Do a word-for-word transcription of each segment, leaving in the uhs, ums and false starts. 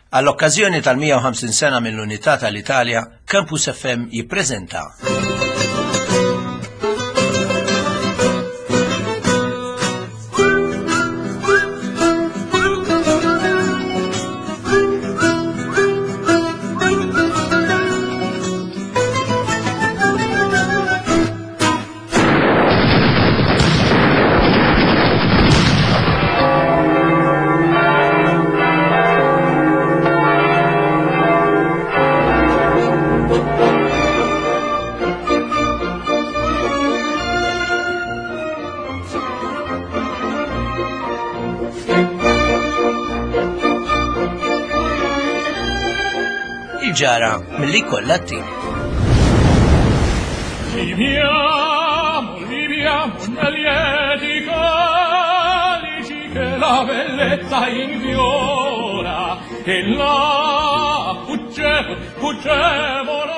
Għall-okkażjoni tal-mija u ħamsin sena mill-Unità tal-Italja, Campus F M jippreżenta Il-ġara milli kollha t-tim. Viviamo, viviamo nel lieti calici che la bellezza infiora e là fuggevo, fuggevo là.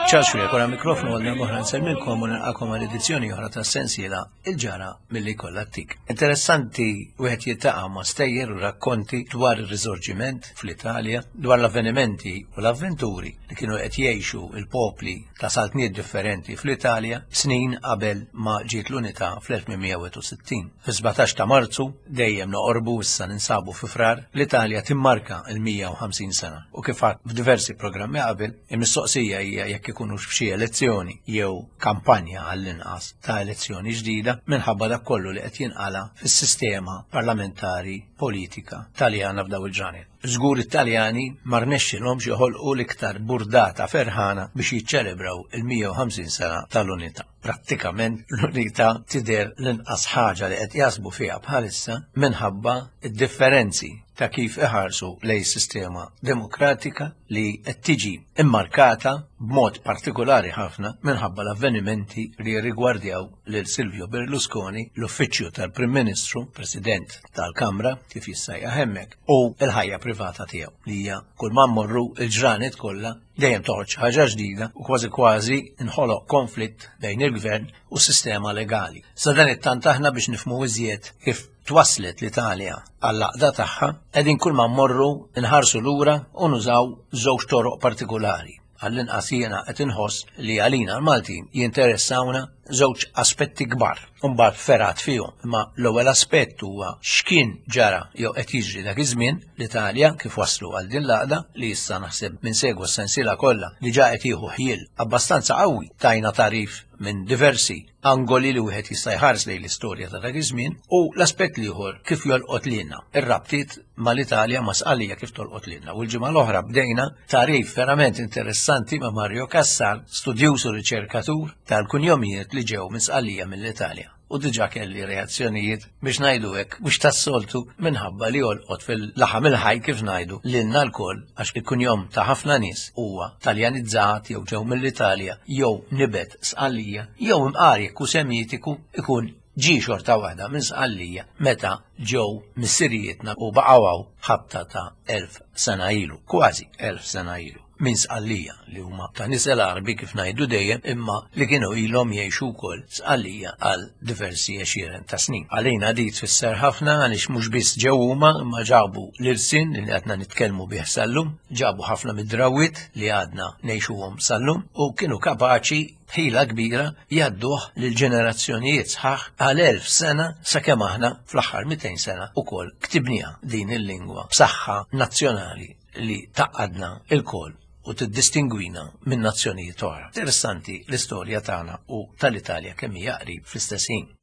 Charles Xuereb, wara mikrofonu għal darba oħra nsellmilkom u nilqakom għal edizzjoni oħra ta' sensiela Il-ġara milli kollha t-tik. Interessanti wieħed jiltaqa' ma' stejjer u rakkonti dwar ir-riżorġiment fl-Italja, dwar l-avvenimenti u l-avventuri li kienu qed jgħixu il-popli ta' saltniet differenti fl-Italja snin qabel ma ġiet l-unità fl-elf tmien mija u sittin. Fis-sbatax ta' Marzu, dejjem noqorbu issa ninsabu fi Frar, l-Italja timmarka l-mija u ħamsin sena. U kif għadt f'diversi programmi qabel, il-mistoqsija hija jekk ikunux f'xi elezzjoni jew kampanja għall-inqas ta' elezzjoni ġdida minħabba dak kollu li qed jinqala fis-sistema parlamentari politika Taljana f'daw il-ġranet. Żgur it-Taljani ma rnexxilhomx joħolqu l-iktar burdata ferħana biex jiċċelebraw il-mija u ħamsin sena tal-unità. Prattikament l-unità tidher l-inqas ħaġa li qed jasbu fiha bħalissa minħabba d-differenzi ta' kif iħarsu lej sistema demokratika li qed tiġi immarkata b'mod partikolari ħafna minħabba l-avvenimenti li rigwardjaw lil Silvio Berlusconi, l-uffiċċju tal-Prim Ministru, President tal-Kamra, kif jissejjaħ hemmhekk, u l-ħajja privata tiegħu li hija kull ma mmorru l-ġranet kollha dejjem toħroġ ħaġa ġdida u kważi kważi nħoloq konflitt bejn il-gvern u s-sistema legali. Sa dan it-tant aħna biex nifhmu iżjed kif twaslet l-Italja għall-għaqda tagħha, qegħdin kull ma mmorru nħarsu lura u nużaw żewġ toroq partikolari. Għall-inqas jiena qed inħoss li għalina l-Maltin jinteressawna żewġ aspetti kbar, u mbagħad ferat fihom. Imma l-ewwel aspett huwa x'kien ġara jew qed jiġri dak iż-żmien l-Italja kif waslu għal din l-għaqda li issa naħseb minn segwa s-sensiela kollha li ġa qed jieħu ħjiel abbastanza qawwi tajna tarif minn diversi angoli li wieħed jista' jħares lejn l-istorja ta' dak iż-żmien, u l-aspett l-ieħor kif jolqot lilna, ir-rabtiet mal-Italja ma' Sqallija kif tolqot lilna. U l-ġimgħa l-oħra bdejna tarif verament interessanti ma' Mario Cassar, studjuż u riċerkatur tal-kunjomijiet li ġew minn Sqallija mill-Italja. U diġà kelli reazzjonijiet biex ngħidu hekk mhux tas-soltu minħabba li jolqot fil-laħam il-ħaj kif ngħidu lilna lkoll, għax il-kunjom ta' ħafna nies huwa Taljanizzat jew ġew mill-Italja jew nibet Sqallija jew imqar jekk hu Semitiku ikun ġie xorta waħda minn Sqallija meta ġew missirijietna u baqgħu hawn ħabta ta' elf sena ilu, kważi elf sena ilu, minn Sqallija li huma ta' nisel Għarbi kif ngħidu dejjem, imma li kienu ilhom jgħixu wkoll Sqallija għal diversi għexieren ta' snin. Għalina di tfisser ħafna għaliex mhux biss ġew huma imma ġabu l-irsin li qedna nitkellmu bih sal-lum, ġabu ħafna mid-drawwiet li għadna ngħixuhom sal-lum u kienu kapaċi b'ħila kbira jgħadduh lil ġenerazzjonijiet sħaħ għal elf sena sakemm aħna fl-aħħar mitejn sena ukoll ktibniha din il-lingwa b'saħħa nazzjonali li taqadna il-koll u tiddistingwina minn nazzjonijiet oħra. Interessanti l-istorja tagħna u tal-Italja kemm hija qrib fl-istess ħin.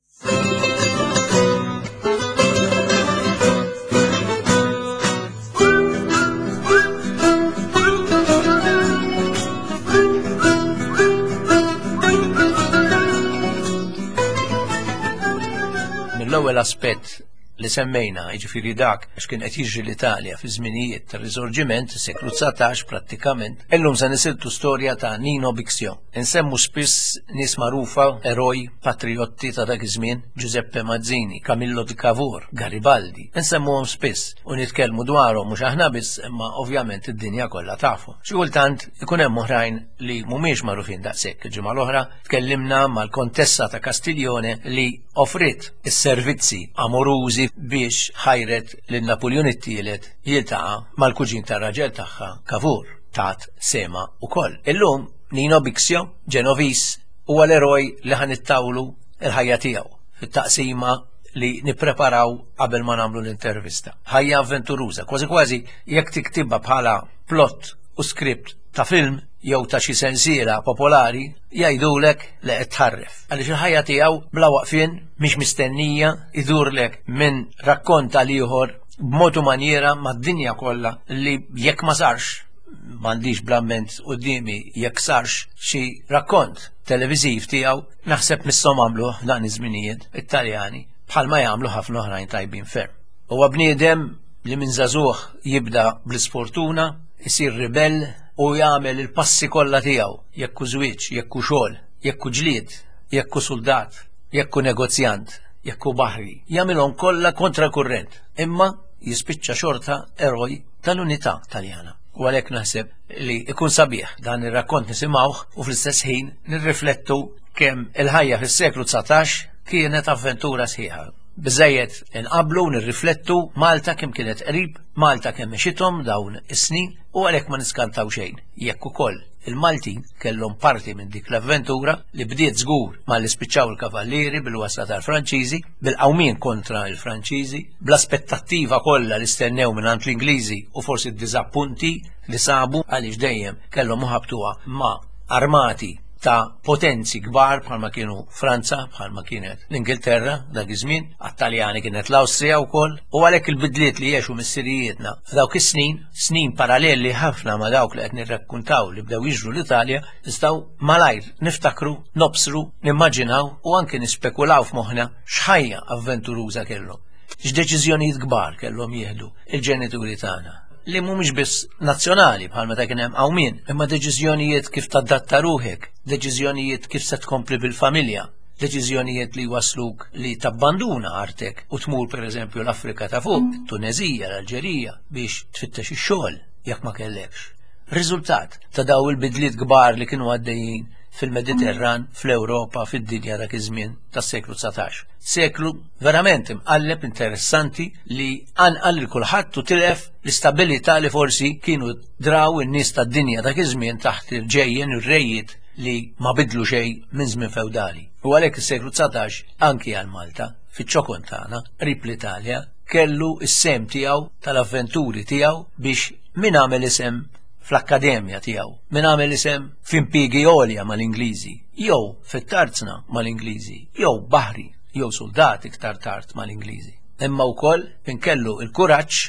Mill-ewwel aspett li semmejna, jiġifieri dak x'kien qed jiġri l-Italja fi żminijiet tar-Risorġiment, is-seklu dsatax prattikament, illum se nisiltu storja ta' Nino Bixio. Insemmu spiss nies magħrufa, eroj, patriotti ta' dak iż-żmien, Giuseppe Mazzini, Camillo di Cavour, Garibaldi. Insemmuhom spiss u nitkellmu dwarhom mhux aħna biss, imma ovvjament id-dinja kollha tafu. Xi kultant ikun hemm oħrajn li mhumiex magħrufin daqshekk. Il-ġimgħa l-oħra tkellimna mal-Kontessa ta' Castiglione li offrit is-servizzi amorużi l-Ingliżi biex ħajret lil Napoleon it-tielet jiltaqa' mal-kuġin tar-raġel tagħha Cavour tat sema ukoll. Illum Nino Bixio, Ġenovis, huwa l-eroj li ħa nittawlu il-ħajja tiegħu fit-taqsima li nippreparaw qabel ma nagħmlu l-intervista. Ħajja avventuruża, kważi kważi jekk tiktibha bħala plot u script ta' film jew ta' xi sensiela popolari jgħidulek li qed tħarref. Għaliex il-ħajja tiegħu bla waqfien mhix mistennija idurlek minn rakkont għal ieħor b'mod u manjiera mad-dinja kollha li jekk ma sarx m'għandix bl-amment quddiemi jekk sarx xi rakkont televiżiv tiegħu naħseb misshom għamlu dan iż-żminijiet it-Taljani bħalma jagħmlu ħafna oħrajn tajbin ferm. Huwa bniedem li minn żagħżugħ jibda bl-isfortuna, isir ribell u jagħmel il-passi kollha tiegħu, jekk hu żwieġ, jekk hu xogħol, jekk hu ġlied, jekk hu suldat, jekk hu negozjant, jekk hu baħri, jagħmilhom kollha kontra kurrent, imma jispiċċa xorta eroj tal-unità Taljana. U għalhekk naħseb li ikun sabiħ dan ir-rakkont nisimgħuh u fl-istess ħin nirriflettu kemm il-ħajja fis-seklu dsatax kienet avventura sħiħa. Biżejjed inqablu nirriflettu Malta kemm kienet qrib, Malta kemm mexithom dawn is-snin u għalhekk ma niskantaw xejn. Jekk ukoll il-Maltin kellhom parti minn dik l-avventura li bdiet żgur malli spiċċaw il-kavallieri bil-wasla tal-Franċiżi, bil-qawmien kontra l-Franċiżi, bl-aspettattiva kollha li stennew mingħand l-Ingliżi u forsi d-diżappunti li sabu għaliex dejjem kellhom iħabtuha ma' armati ta' potenzi kbar bħalma kienu Franza, bħalma kienet l-Ingilterra dak iż-żmien, għat-Taljani kienet l-Awstrija wkoll, u għalhekk il-bidliet li għexu missirijietna f'dawk is-snin, snin paralleli ħafna ma' dawk li qed nirrakkuntaw li bdew jiġru l-Italja, nistgħu malajr niftakru, nobsru, nimmaġinaw u anke nispekulaw f'moħħna x'ħajja avventuruża kellhom, x'deċiżjonijiet kbar kellhom jieħdu il-ġenituri tagħna li mhumiex biss nazzjonali bħal meta kien hemm qawmien, imma deċiżjonijiet kif tadatta ruħek, deċiżjonijiet kif se tkompli bil-familja, deċiżjonijiet li wasluk li tabbanduna artek u tmur pereżempju l-Afrika ta' fuq, Tunezija, l-Alġerija biex tfittex ix-xogħol jekk ma kellekx. Riżultat ta' daw il-bidliet kbar li kienu għaddejjin fil-Mediterran, fl-Ewropa, fid-dinja dak iż-żmien tas-seklu dsatax. Seklu verament imqalleb interessanti li anqal lil kulħadd u tilef l-istabilità li forsi kienu draw in-nies tad-dinja dak iż-żmien taħt il-ġejjen ir-rejiet li ma bidlu xejn minn żmien feudali. U għalhekk is-seklu dsatax anki għal Malta, fiċ-ċokon tagħna, qrib l-Italja, kellu s-sem tiegħu tal-avventuri tiegħu biex min għamel isem fl-akkademja tiegħu, min għamel isem f'impjiegi għolja mal-Ingliżi, jew fit-tarzna mal-Ingliżi, jew baħri, jew soldat iktar tard mal-Ingliżi. Imma wkoll min kellu l-kuraġġ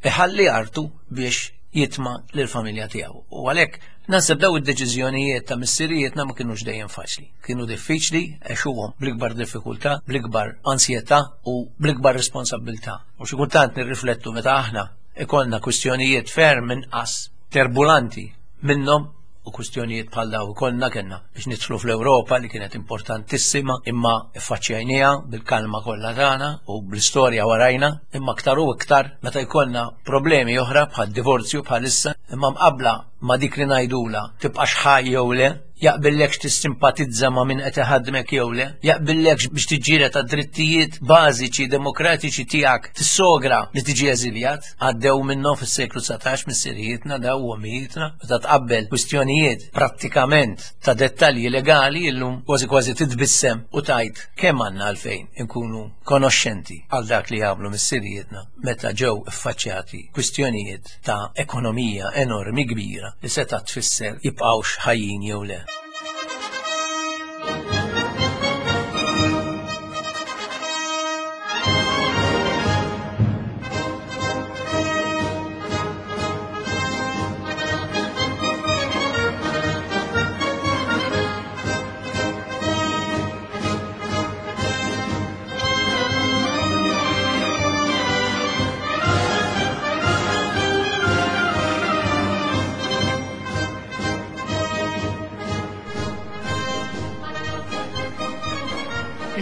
iħalli artu biex jitma' lill-familja tiegħu. U għalhekk naħseb daw id-deċiżjonijiet ta' missirijietna ma kinux dejjem faċli. Kienu diffiċli, għexuhom bl-ikbar diffikultà, bl-ikbar ansjetà u bl-ikbar responsabilità. U xi kultant nirriflettu meta aħna ikollna kwistjonijiet ferm inqas terbulanti minnhom u kwistjonijiet bħal daw ikollna kellna biex nidħlu fl-Ewropa li kienet importantissima imma ffaċċjajniha bil-kalma kollha tagħna u bl-istorja warajna, imma aktar u iktar meta jkollna problemi oħra bħal divorzju bħalissa imma mqabbla ma dik li ngħidula tibqax ħaj jew le, jaqbillekx tissimpatizza ma' min qed iħaddmek jew le, jaqbillekx biex tiġġieled għad-drittijiet bażiċi demokratiċi tiegħek tissogra li tiġi eżiljat, għaddew minnhom fis-seklu dsatax missirijietna daw u ommijietna, meta tqabbel kwistjonijiet prattikament ta' dettalji legali illum kważi kważi titbissem u tajt kemm għandna għalfejn inkunu konoxxenti għal dak li għamlu missirijietna meta ġew iffaċċjati kwistjonijiet ta' ekonomija enormi kbira li seta' tfisser jibqgħux ħajjin jew le.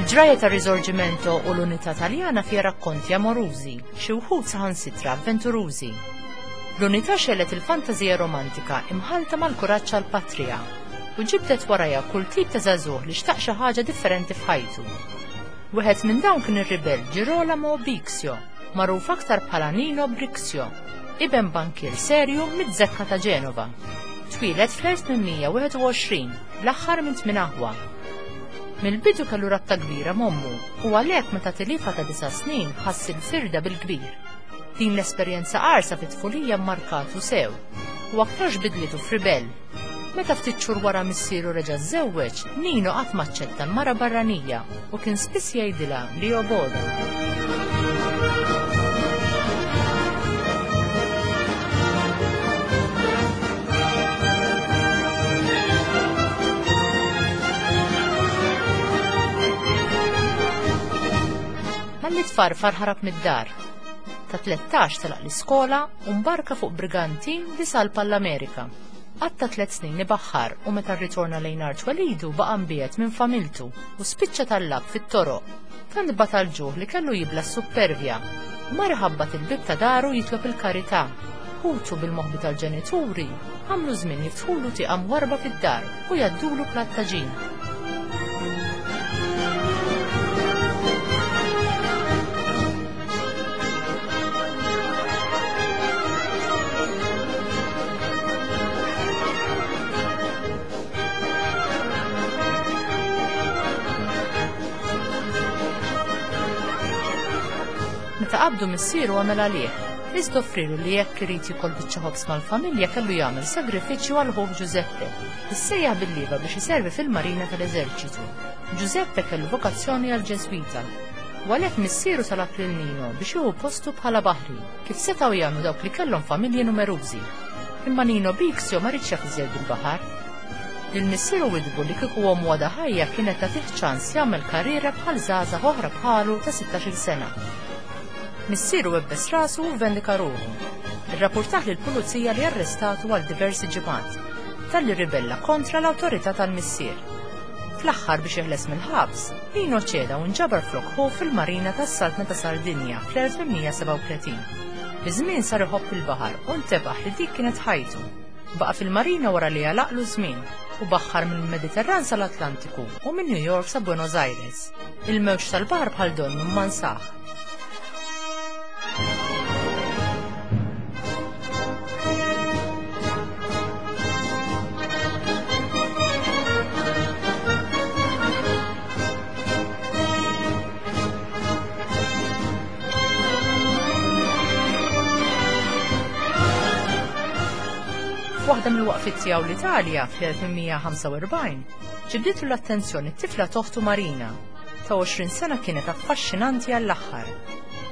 Il-ġraja ta' Risorgimento u l-unità Taljana fiha rakkonti amorużi, xi wħud saħansitra avventurużi. L-unità xellet il-fantażija romantika imħalta mal-kuraġġ għall-patrija u ġibdet warajha kull tip ta' żagħżugħ li xtaq xi ħaġa differenti f'ħajtu. Wieħed minn dawn kien ir-ribell Girolamo Bixio, magħruf aktar bħala Nino Brixio, iben bankier serju mid-Zekka ta' Ġenova. Twieled fl-elf tmien mija wieħed u għoxrin, l-aħħar minn tmien aħwa. Mill-bidu kellu rabta kbira m'ommu u għalhekk meta tilifha ta' disa' snin ħass il-firda bil-kbir. Din l-esperjenza qarsa fit-tfulija mmarkatu sew u aktarx bidlitu f'ribell. Meta ftit xhur wara missieru reġa' żżewweġ, Nino qatt maċċetta l-mara barranija u kien spiss jgħidilha li jobgħodha. Malli tfarfar ħarab mid-dar. Ta' tlettax telaq l-iskola u mbarka fuq brigantin li salpa l-Amerika. Għatta tliet snin ibaħħar u meta rritorna lejn art twelidu baqa' mbiegħed minn familtu u spiċċa tallab fit-toroq. Tant bata l-ġuħ li kellu jibla s-suppervja. Mar iħabbat il-bieb ta' daru jitlob il-karità. Ħutu bil-moħbi tal-ġenituri għamlu żmien jiftħulu tieqa mwarba fid-dar u jgħaddulu platt ta' ġin. Meta qabdu missieru għamel għalih, iżda offrilu li jekk irid jikol biċċa ħobż mal-familja kellu jagħmel sagrifiċċju għal ħuh Giuseppe, issejjaħ bil-lieva biex iservi fil-marina tal-eżerċitu. Giuseppe kellu vokazzjoni għal Ġeżwita, u għalhekk missieru talab lil Nino biex jieħu postu bħala baħri, kif setgħu jagħmlu dawk li kellhom familji numerużi. Imma Nino Bixio ma riedx jaf iżjed bil-baħar. Lil missieru widbu li kieku ommu għadha ħajja kienet tagħtih ċans jagħmel karriera bħal żgħażagħ oħra bħalu ta' sittax-il sena. Missieru webbes rasu u vendika ruħu. Irrapportah lill-pulizija li arrestatu għal diversi ġimgħat, talli ribella kontra l-awtorità tal-missier. Fl-aħħar biex jeħles mill-ħabs, Nino ċeda u nġabar flok ħu fil-marina tas-Saltna ta' Sardinja fl-elf tmien mija sebgħa u tletin. Biż-żmien sar iħobb il-baħar u ntebaħ li dik kienet ħajtu. Baqa' fil-marina wara li għalaqlu żmien u baħħar mill-Mediterran sal-Atlantiku u minn New York sa Buenos Aires. Il-mewġ tal-baħar bħal donnu ma nsaħ. Waħda mill-waqfiet tiegħu l-Italja fl-elf tmien mija ħamsa u erbgħin ġibditu l-attenzjoni t-tifla toħtu Marina. Ta' għoxrin sena kienet affaxxinanti għall-aħħar.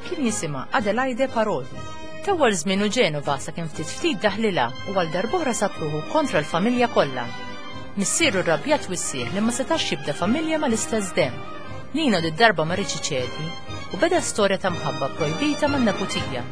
Kien jisimha Adelaide Parodi. Tawwal żmienu Ġenova sakemm ftit ftit daħlilha u għal darb'oħra sab ruħu kontra l-familja kollha. Missieru rrabjat wissieħ li ma setax jibda familja mal-istess demm. Nino did-darba ma riedx iċedi u beda storja ta' mħabba projbita man-neputija.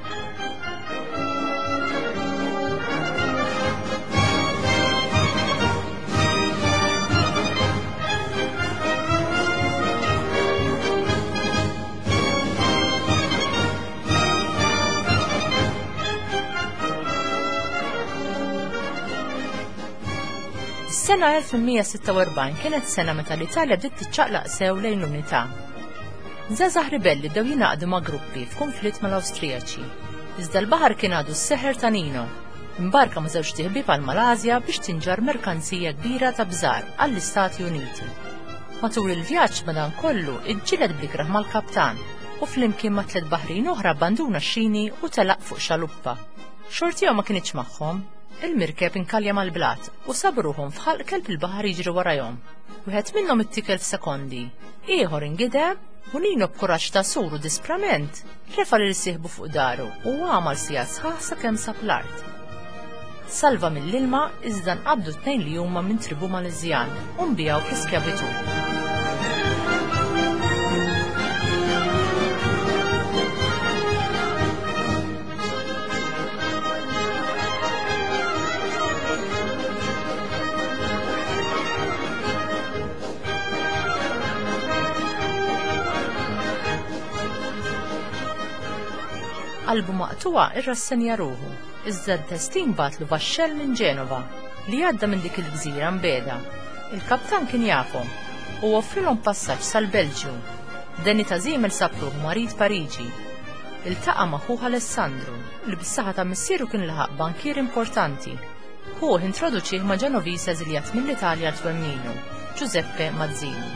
Is-sena elf tmien mija sitta u erbgħin kienet sena meta l-Italja bdiet tiċċaqlaq sew lejn l-unità. Żgħażagħ ribelli bdew jingħaqdu ma' gruppi f'kunflitt mal-Awstrijaċi. Iżda l-baħar kien għadu s-seħer ta' Nino. Imbarka ma' żewġ tiħbieb għal Malasja biex tinġar merkanzija kbira ta' bżar għall-Istati Uniti. Matul il-vjaġġ madankollu iġġieled blikraħ mal-kaptan u flimkien ma' tliet baħrin oħra abbanduna x-xini u telaq fuq xaluppa. Xortihom ma kinitx magħhom. Il-mirkeb inkalja mal-blat u sabruhom f'ħalq kelb il-baħar jiġri warajhom. Wieħed minnhom ittikel f'sekondi, ieħor ingideb u Nino b'kuraġġ ta' sur u disprament refa' lil sieħbu fuq daru u għamal sija sħaħ sakemm sab l-art. Salva mill-ilma iżda nqabdu tnejn li huma minn tribu Mależjan u nbiegħu fl-iskjavitu. Qalbu maqtuwa irrassenja ruħu, iżda d-destin bagħatlu vaxxell minn Ġenova li għadda minn dik il-gżira mbeda. Il-kaptan kien jafhom u offrilhom passaġġ sal-Belġju. Deni ta' żiemel sab ruħu marid Pariġi. Iltaqa' ma' ħuh Alessandro, li bis-saħħa ta' missieru kien laħaq bankier importanti. Ħuh introduċih ma' Ġenoviż eżiljat mill-Italja għal twemminu, Giuseppe Mazzini.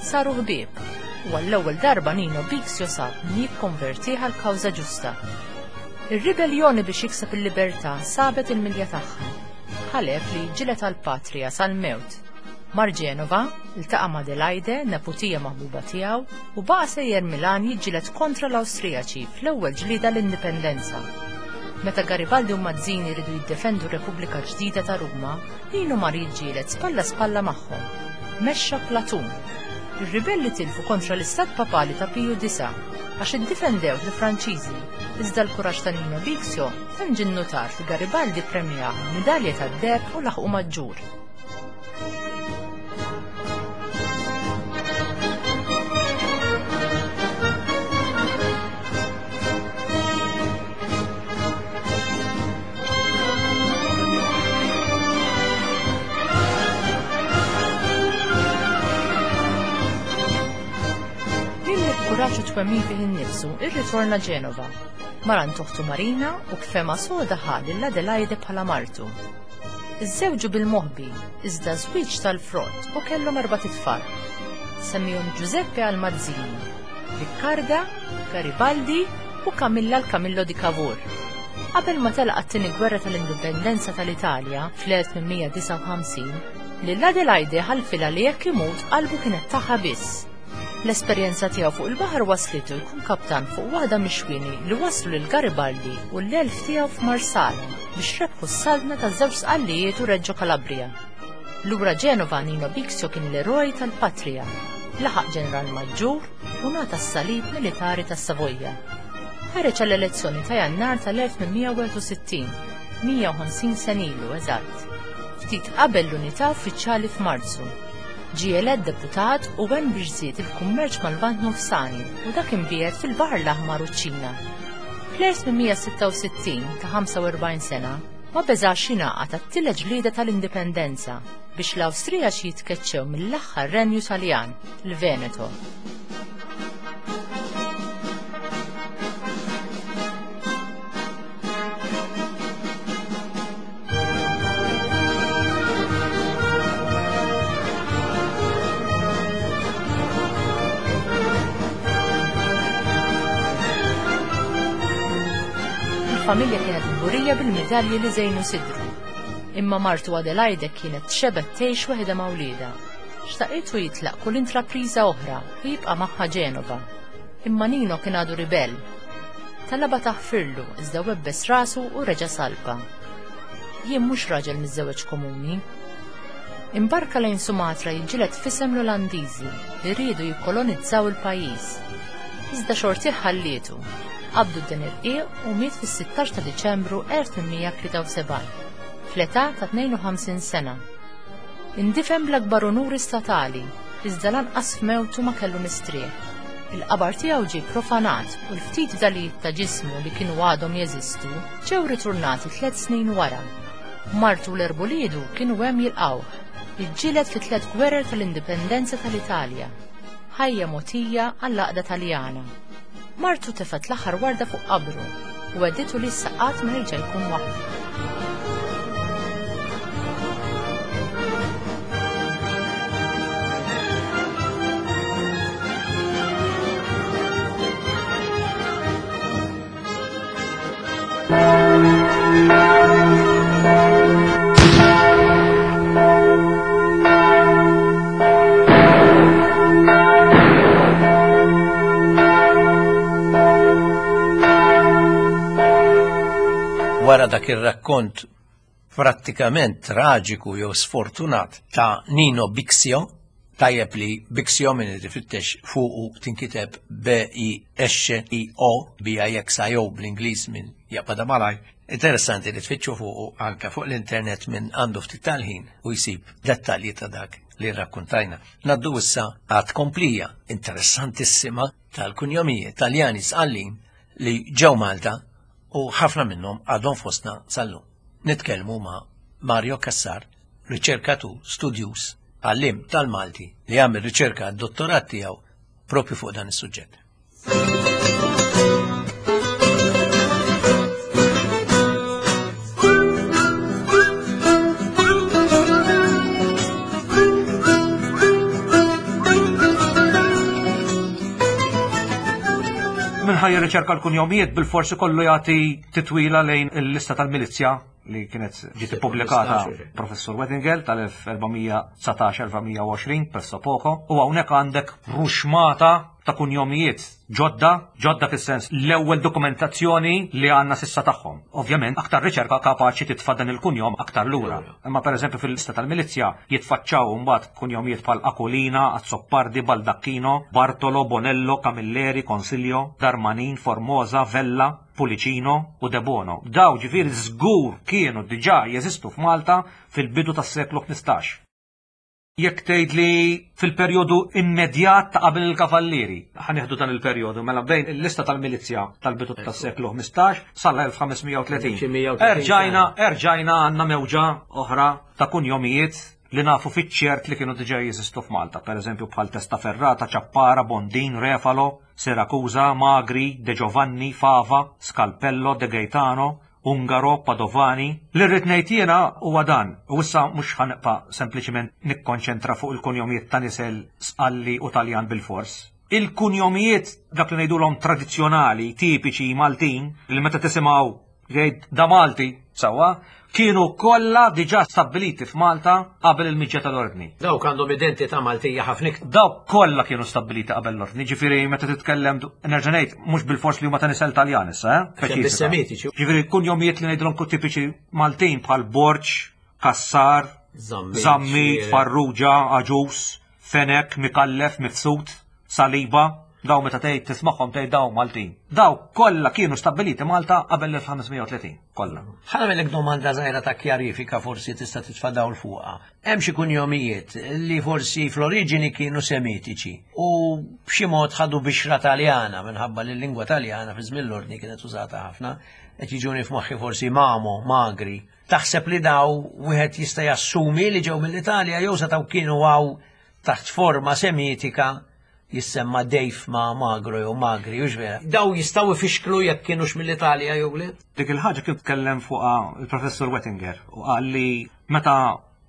Saru ħbieb, u għall-ewwel darba Nino Bixio sab min jikkonvertih għal kawża ġusta. Ir-ribellioni biex jikseb il-libertà sabet il-milja tagħha. Ħalef li jiġġieled għall-patrija sal-mewt. Mar Ġenova, iltaqa' ma' Adelaide, neputija maħbuba tiegħu, u baqa' sejjer Milan jiġġieled kontra l-Awstrijaċi fl-ewwel ġlieda l-Indipendenza. Meta Garibaldi u Mazzini riedu jiddefendu r-Repubblika Ġdida ta' Ruma, Nino mar jiġġieled spalla spalla magħhom. Mexxa platun. Ir-ribelli tilfu kontra l-Istat Papali ta' Piju Disa' għax iddifendew il-Franċiżi, iżda l-kuraġġ ta' Nino Bixio tant ġie nnutat li Garibaldi premjah b'midalja tad-deheb u laħqu maġġur. Kuraġġ u twemmin fih innifsu, irritorna Ġenova. Mar għand oħtu Marina u b'fema soda ħa lil Adelaide bħala martu. Iżżewġu bil-moħbi, iżda żwieġ tal-frott u kellhom erbat itfal. Semmihom Giuseppe għal Mazzini, Riccarda, Garibaldi u Camilla l-Camillo di Cavour. Qabel ma telaq għat-tieni gwerra tal-Indipendenza tal-Italja fl-elf tmien mija disgħa u ħamsin, lil Adelaide ħalfilha li jekk imut qalbu kienet tagħha biss. L-esperjenza tiegħu fuq il-baħar waslitu jkun kaptan fuq waħda mix-xwieni li waslu lil Garibaldi u l-elf tiegħu f'Marsala biex rebħu s-saltna taż-żewġ Sqallijiet u Reggio Calabria. Lura Ġenova Nino Bixio kien l-eroj tal-patrija, laħaq ġeneral maġġur u ngħata s-salib militari tas-Savoja. Ħareġ għall-elezzjoni ta' Jannar tal-elf tmien mija wieħed u sittin, mija u ħamsin sena ilu eżatt, ftit qabel l-unità uffiċjali f'Marzu. Ġie elett deputat u għen biex żied il-kummerċ mal-Lvant Nofsani u dak imbiegħed fil-Baħar l-Aħmar u ċ-Ċina. Fl-elf tmien mija sitta u sittin ta' ħamsa u erbgħin sena ma beżax jingħaqad għat-tielet ġlieda tal-Indipendenza biex l-Awstrijaċi jitkeċċew mill-aħħar renju Taljan, il-Veneto. Il-familja kienet kburija bil-medalji li żejnu sidru. Imma martu Adelaide kienet xebet tgħix waħedha ma' wliedha. Xtaqitu jitlaq kull intrapriża oħra u jibqa' magħha Ġenova. Imma Nino kien għadu ribell. Talaba taħfirlu iżda webbes rasu u reġa' salpa. Jien mhux raġel miżżewweġ komuni. Imbarka lejn Sumatra jiġġieled f'isem l-Olandiżi li riedu jikkolonizzaw il-pajjiż. Iżda xortih ħallietu. Qabdu d-den irqiq u miet fis-sittax ta' Diċembru elf tmien mija tlieta u sebgħin, fl-età ta' tnejn u ħamsin sena. Indifen bl-akbar onuri statali, iżda lanqas f'mewtu ma kellu mistrieħ. Il-qabar tiegħu ġie profanat u l-ftit fdalijiet ta' ġismu li kienu għadhom jeżistu ġew ritornati tliet snin wara. Martu u l-erbu liedu kienu hemm jilqgħuh. Iġġieled fi tliet gwerer tal-Indipendenza tal-Italja. Ħajja mogħtija għall-għaqda Taljana. Martu tefgħet l-aħħar warda fuq qabru u għedditu li issa qatt ma jerġa' jkun waħdu. Wara dak ir-rakkont prattikament traġiku jew sfortunat ta' Nino Bixio, tajjeb li Bixio min irid ifittex fuqu tinkiteb B I S I O, B I X I O bl-Ingliż minn jaqbadha malaj. Interessanti li tfittxu fuqu anke fuq l-internet minn għandu ftit tal-ħin u jsib dettalji ta' dak li rrakkontajna. Naddu issa għad komplija interessantissima tal-kunjomijiet Taljani Sqallin li ġew Malta u ħafna minnhom għadhom fostna sal-lum. Nitkellmu ma' Mario Cassar, riċerkatur, studjuż, għallim tal-Malti li għamel riċerka għad-dottorat tiegħu propju fuq dan is-suġġett. Min ħa jirriċerka l-kunjomijiet bil-forsi kollu jagħti titwila lejn il-lista tal-milizja li kienet ġiet ippubblikata Professur Wettengel tal-elf erba' mija dsatax elf erba' mija u għoxrin presso poco, u hawnhekk għandek ruxmata ta' kunjomijiet ġodda, ġodda fis-sens l-ewwel dokumentazzjoni li għandna s'issa tagħhom. Ovvjament, aktar riċerka kapaċi titfa' dan il-kunjom aktar lura. Imma pereżempju fil-lista tal-milizja jitfaċċaw mbagħad kunjomijiet bħal Akulina, Azzopardi, Baldacchino, Bartolo, Bonello, Camilleri, Consiglio, Darmanin, Formosa, Vella, Pulicino u Debono. Daw ġifieri żgur kienu diġà jeżistu f'Malta fil-bidu tas-seklu ħmistax. Jekk tgħid li fil-perjodu immedjat ta' qabel il-Kavallieri, ħa nieħdu dan il-perjodu mela bejn il-lista tal-milizja tal-bidu tas-seklu ħmistax sal-elf ħames mija u tletin. Xi mija u tletin. Erġajna, erġajna għandna mewġa oħra ta' kunjomijiet li nafu fiċ-ċert li kienu diġà jeżistu f'Malta, per eżempju bħal Testaferrata, Ċappara, Bondin, Refalo, Siracusa, Magri, De Giovanni, Fava, Scalpello, De Gaetano, Ungaro, Padovani. Li rrid ngħid jiena huwa dan, u issa mhux ħa nibqa' sempliċiment nikkonċentra fuq il-kunjomijiet ta' nisel Sqalli u Taljan bil-fors. Il-kunjomijiet dak li ngħidulhom tradizzjonali, tipiċi Maltin, li meta tisimgħu jgħid da Malti, sewwa, kienu kollha diġà stabbiliti f'Malta qabel il-miġja tal-ordni. Dawk għandhom identità Maltija ħafna iktar. Dawk kollha kienu stabbiliti qabel l-ordni, ġifieri meta titkellem, nerġa' ngħid, mhux bil-fors li huma ta' nisel Taljan issa, eh? Speċifika. Bis-Semitiċi. Ġifieri kunjomijiet li ngħidulhom tipiċi Maltin bħal Borg, Kassar, Zammit, Zammit, Xierek. Farrugia, Aġus, Fenek, Mikallef, Mifsud, Saliba, daw meta tgħid tismagħhom tgħid daw Maltin. Daw kollha kienu stabbiliti Malta qabel l-elf ħames mija u tletin, kollha. Ħa nagħmellek domanda żgħira ta' kjarifika, forsi tista' titfa' dawl fuqha. Hemm xi kunjomijiet li forsi fl-oriġini kienu Semitiċi u b'xi mod ħadu bixra Taljana minħabba li l-lingwa Taljana fi żmien l-ordni kienet użata ħafna, qed jiġuni f'moħħi forsi Mamo, Magri. Taħseb li daw wieħed jista' jassumi li ġew mill-Italja jew setgħu kienu għaw taħt forma Semitika jissemma Dejf ma Magro jew Magri, u vera? Daw jistgħu ifixklu jekk kienux mill-Italja jew le? Dik il-ħaġa kien tkellem fuqha il-professur Wettinger u qal li meta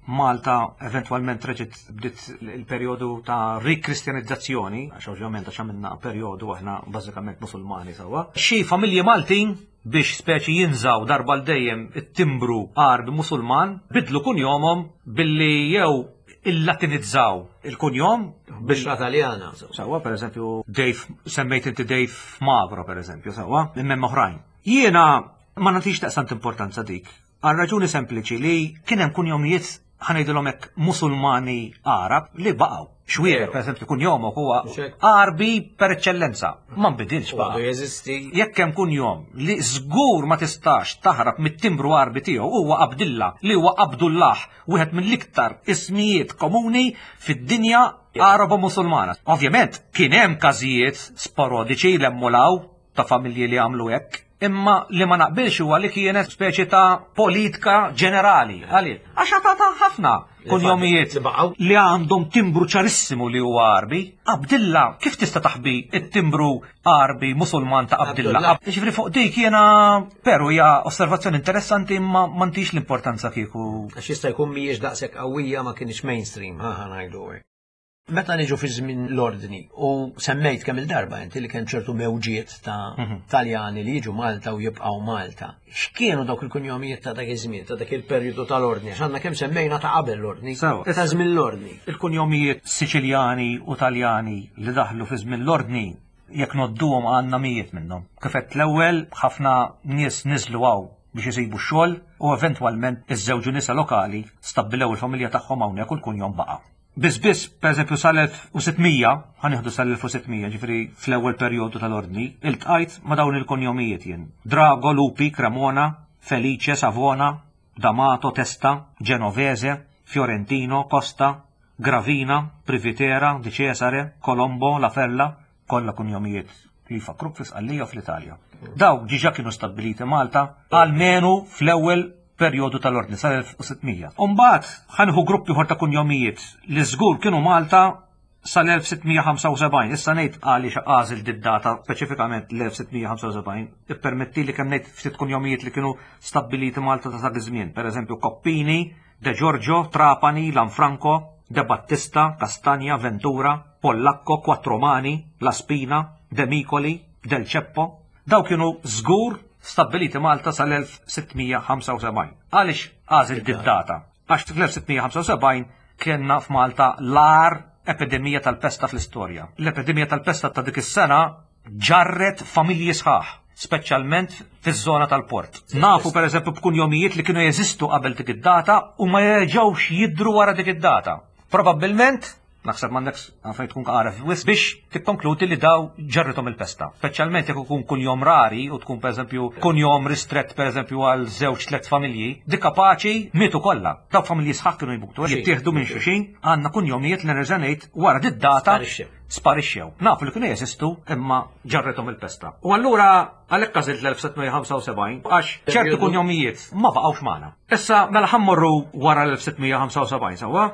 Malta eventwalment reġgħet bdiet il-perjodu ta' rikristjanizzazzjoni, għax ovvjament għax għamilna perjodu aħna bażikament Musulmani sewwa. Xi familji Maltin biex speċi jinżaw darba l dejjem it-timbru Għarbi Musulman bidlu kunjomhom billi jew il-latinizzaw il-kunjom Bixra Taljana. Sewwa, per eżempju, Dave, semmejt inti Dave Magro, per eżempju, sewwa, imma oħrajn. Jiena ma nagħtix daqstant importanza dik. Għal raġuni sempliċi li kien hemm kunjomijiet, ħa ngħidulhom hekk, Musulmani Arab li baqgħu. Xwierer, per eżempju, kunjomok huwa Xek. Għarbi per eċċellenza. Ma nbidilx Għadu baqa'. jeżisti. Jekk hemm kunjom li żgur ma tistax taħrab mit-timbru Għarbi tiegħu huwa Abdilla, li huwa Abdullah, wieħed mill-iktar ismijiet komuni fid-dinja Araba Musulmana. Ovvjament kien hemm każijiet sporadiċi l-emmulaw ta' familji li għamlu hekk, imma li ma naqbilx huwa li kienet speċi ta' politika ġenerali. Għaliex? Għax ta' ħafna kunjomijiet Li baqgħu. li għandhom timbru ċarissimu li huwa Għarbi. Abdilla, kif tista' taħbi it-timbru Għarbi Musulman ta' Abdilla? Abdullah. Ġifieri fuq dik jiena, però hija osservazzjoni interessanti, imma m'għandix l-importanza kieku. Għax jista' jkun mhijiex daqshekk qawwija, ma kienx mainstream, ħa ħa ngħidu hekk. Meta niġu fi żmien l-ordni u semmejt kemm il-darba inti li kien ċertu mewġiet ta' Taljani li jiġu Malta u jibqgħu Malta. X'kienu dawk il-kunjomijiet ta' dak iż-żmien, ta' dak il-perjodu tal-ordni? Għax għandna kemm semmejna ta' qabel l-ordni, Sewa. ta' żmien l-ordni. Il-kunjomijiet Siċiljani u Taljani li daħlu fi żmien l-ordni, jekk nodduhom għandna mijiet minnhom. Kif għedt l-ewwel, ħafna nies niżlu hawn biex isibu x-xogħol u eventwalment iżżewġu nisa lokali, stabbilew il-familja tagħhom hawnhekk u l-kunjom baqa'. Biss biss, per eżempju, sal-elf u sitt mija, ħa nieħdu sal-elf u sitt mija, ġifieri fl-ewwel perjodu tal-ordni, iltqajt ma' dawn il-kunjomijiet jien. Drago, Lupi, Cremona, Felice, Savona, D'Amato, Testa, Genovese, Fiorentino, Costa, Gravina, Privitera, Di Cesare, Colombo, La Fella, kollha kunjomijiet li jfakruk fi Sqallija u fl-Italja. Dawk diġà kienu stabbiliti Malta, almenu fl-ewwel perjodu tal-ordni sal-elf u sitt mija. Umbagħad ħa nieħu gruppi oħra ta' kunjomijiet li żgur kienu Malta sal-elf sitt mija ħamsa u sebgħin, issa ngħid għaliex għażilt did-data speċifikament l-elf sitt mija ħamsa u sebgħin, ippermetti li kemm ngħid ftit kunjomijiet li kienu stabbiliti Malta ta' dak iż-żmien. Pereżempju Coppini, De Giorgio, Trapani, Lanfranco, De Battista, Castagna, Ventura, Pollacco, Quattromani, La Spina, De Micoli, Del Ceppo. Daw kienu żgur stabbiliti Malta sal-elf sitt mija ħamsa u sebgħin. Għaliex għażilt did-data? Għax fl-elf sitt mija ħamsa u sebgħin kienna f'Malta l-agħar epidemija tal-pesta fl-istorja. L-epidemija tal-pesta ta' dik is-sena ġarret familji sħaħ, speċjalment fiż-żona tal-port. Nafu per eżempju b'kunjomijiet li kienu jeżistu qabel dik id-data u ma jerġgħux jidru wara dik id-data. Probabbilment, naħseb m'għandekx għalfejn tkun għaref wisq biex tikkonkludi li daw ġarrithom il-pesta. Speċjalment jekk ikun kunjom rari u tkun pereżempju kunjom ristrett pereżempju għal żewġ tliet familji, dik kapaċi mietu kollha. Dawk familji sħaħ kienu jmutu, jittieħdu minn xulxin, għandna kunjomijiet li nerġa' ngħid wara did-data Sparixxew. sparixxew. Nafu li kienu jeżistu imma ġarrithom il-pesta. U allura għalhekk għażilt l-elf sitt mija ħamsa u sebgħin għax ċertu kunjomijiet ma baqgħux magħna. Issa mela ħa mmorru wara l-elf sitt mija ħamsa u sebgħin sewwa?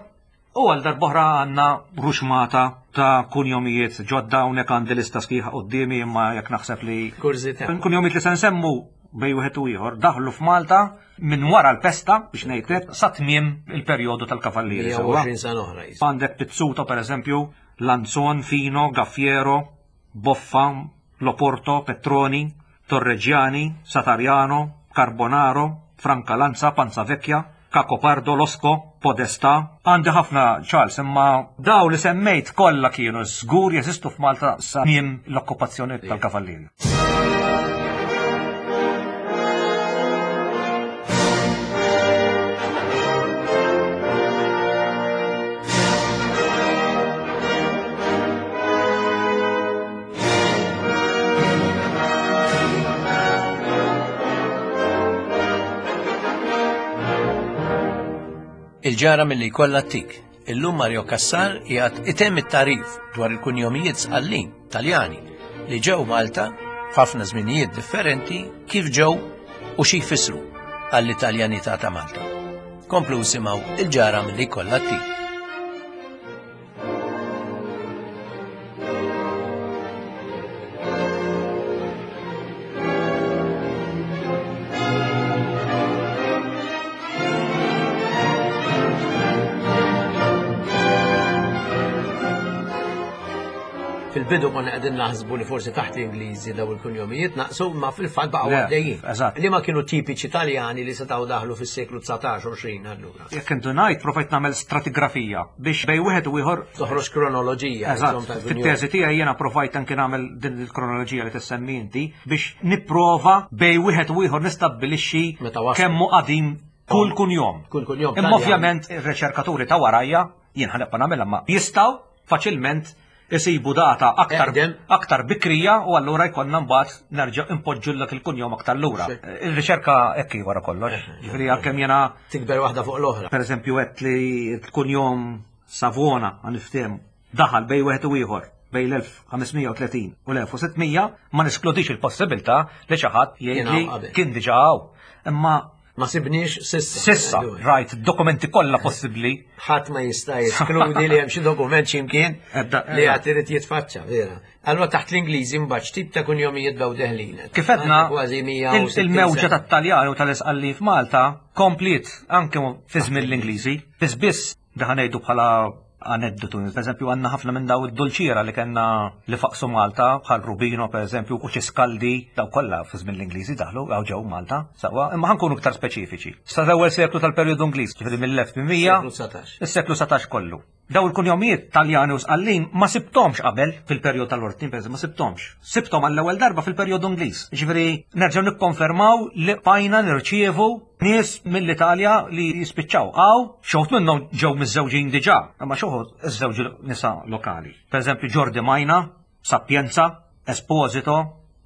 U għal darb'oħra għandna ruxmata ta' kunjomijiet ġodda, hawnhekk għandi lista sħiħa quddiemi, imma jekk naħseb li Kurżità. kunjomijiet li se nsemmu bej wieħed u ieħor daħlu f'Malta minn wara l-pesta biex ngħidlek sa tmiem il-perjodu tal-Kavallieri. Sewwa? mija u għoxrin sena oħra jis. Għandek Pizzuto per eżempju, Lanzon, Fino, Gaffiero, Boffa, Loporto, Petroni, Torreggiani, Satariano, Carbonaro, Francalanza, Panzavecchia, Cacopardo, Losco, Podesta. Għandi ħafna, Charles, imma daw li semmejt kollha kienu żgur jeżistu f'Malta sa tmiem l-okkupazzjoni tal-Kavallieri. Il-ġara milli jkollha tik. Illum Mario Cassar qiegħed itemm it-tagħrif dwar il-kunjomijiet Sqallin Taljani li ġew Malta f'ħafna żminijiet differenti, kif ġew u xi jfissru għall-Italjanità ta' Malta. Komplu simgħu il-ġara milli jkollha tik. Fil-bidu konna qegħdin naħsbu li forsi taħt l-Ingliżi daw il-kunjomijiet naqsu, ma fil-fatt baqgħu Le, għaddejjin. Eżatt. Li ma kienu tipiċi Taljani li setgħu daħlu fis-seklu dsatax għoxrin allura. Jekk intu ngħid provajt nagħmel stratigrafija biex bej wieħed u ieħor Toħroġ kronoloġija. Eżatt, insomma, tal-kunjom. fit-teżi tiegħi jiena provajt anke nagħmel din il-kronoloġija li tissemmi inti biex nipprova bej wieħed u ieħor nistabbilixxi Meta waslu. kemm hu qadim kull kunjom. Kull kunjom Imma Taljan. ovvjament ir-riċerkaturi ta' warajja, jien ħa nibqa' nagħmilha, ma jistgħu faċilment isibu data aktar Eqdem. aktar bikrija u allura jkollna mbagħad nerġa' impoġġullek il-kunjom aktar lura. Sì. Ir-riċerka hekk hi wara kollox. Ġifieri għalkemm jiena Tikber waħda fuq l-oħra. per eżempju għedt li l-kunjom Savona, għan niftehmu, daħal bej wieħed u ieħor bej l-elf ħames mija u tletin u l-elf sitt mija, ma neskludix il-possibilità li xi ħadd jgħid Kien li hawn qabel. kien diġà hawn. Imma Ma sibniex sissa. sissa rajt dokumenti kollha possibbli. Ħadd ma jista' jeskludi li hemm xi dokument x'imkien Ebda, li ebda. għad irid jitfaċċa, vera. Allura taħt l-Ingliżi mbagħad x'tip ta' kunjomijiet bdew deħlin? Kif għedna, Kważi il- il-mewġa tat-Taljani u tal-Isqalli f'Malta kompliet anke fi żmien l-Ingliżi. Biss biss daħ ngħidu bħala aneddotu. Per eżempju, għandna ħafna minn daw id-dulċiera li kellna li faqsu Malta, bħal Rubino per eżempju, u Ciscaldi, daw kollha fi żmien l-Ingliżi daħlu, għaw ġew Malta, sewwa, imma ħa nkunu iktar speċifiċi. Sa l-ewwel seklu tal-perjodu Ingliż, ġifieri mill-elf tmien mija Seklu dsatax. Is-seklu satax kollu. Daw il-kunjomijiet Taljani u Sqallin ma sibtomx qabel fil-perjodu tal-Ordni, per eżempju, ma sibtomx. Sibtom għall-ewwel darba fil-perjodu Ingliż. Ġifieri nerġgħu nikkonfermaw li bqajna nirċievu nies mill-Italja li jispiċċaw. Għaw, xi wħud minnhom ġew miżżewġin diġà, imma xi wħud iżżewġu nisa lokali. Per eżempju Giordi Majna, Sapienza, Esposito,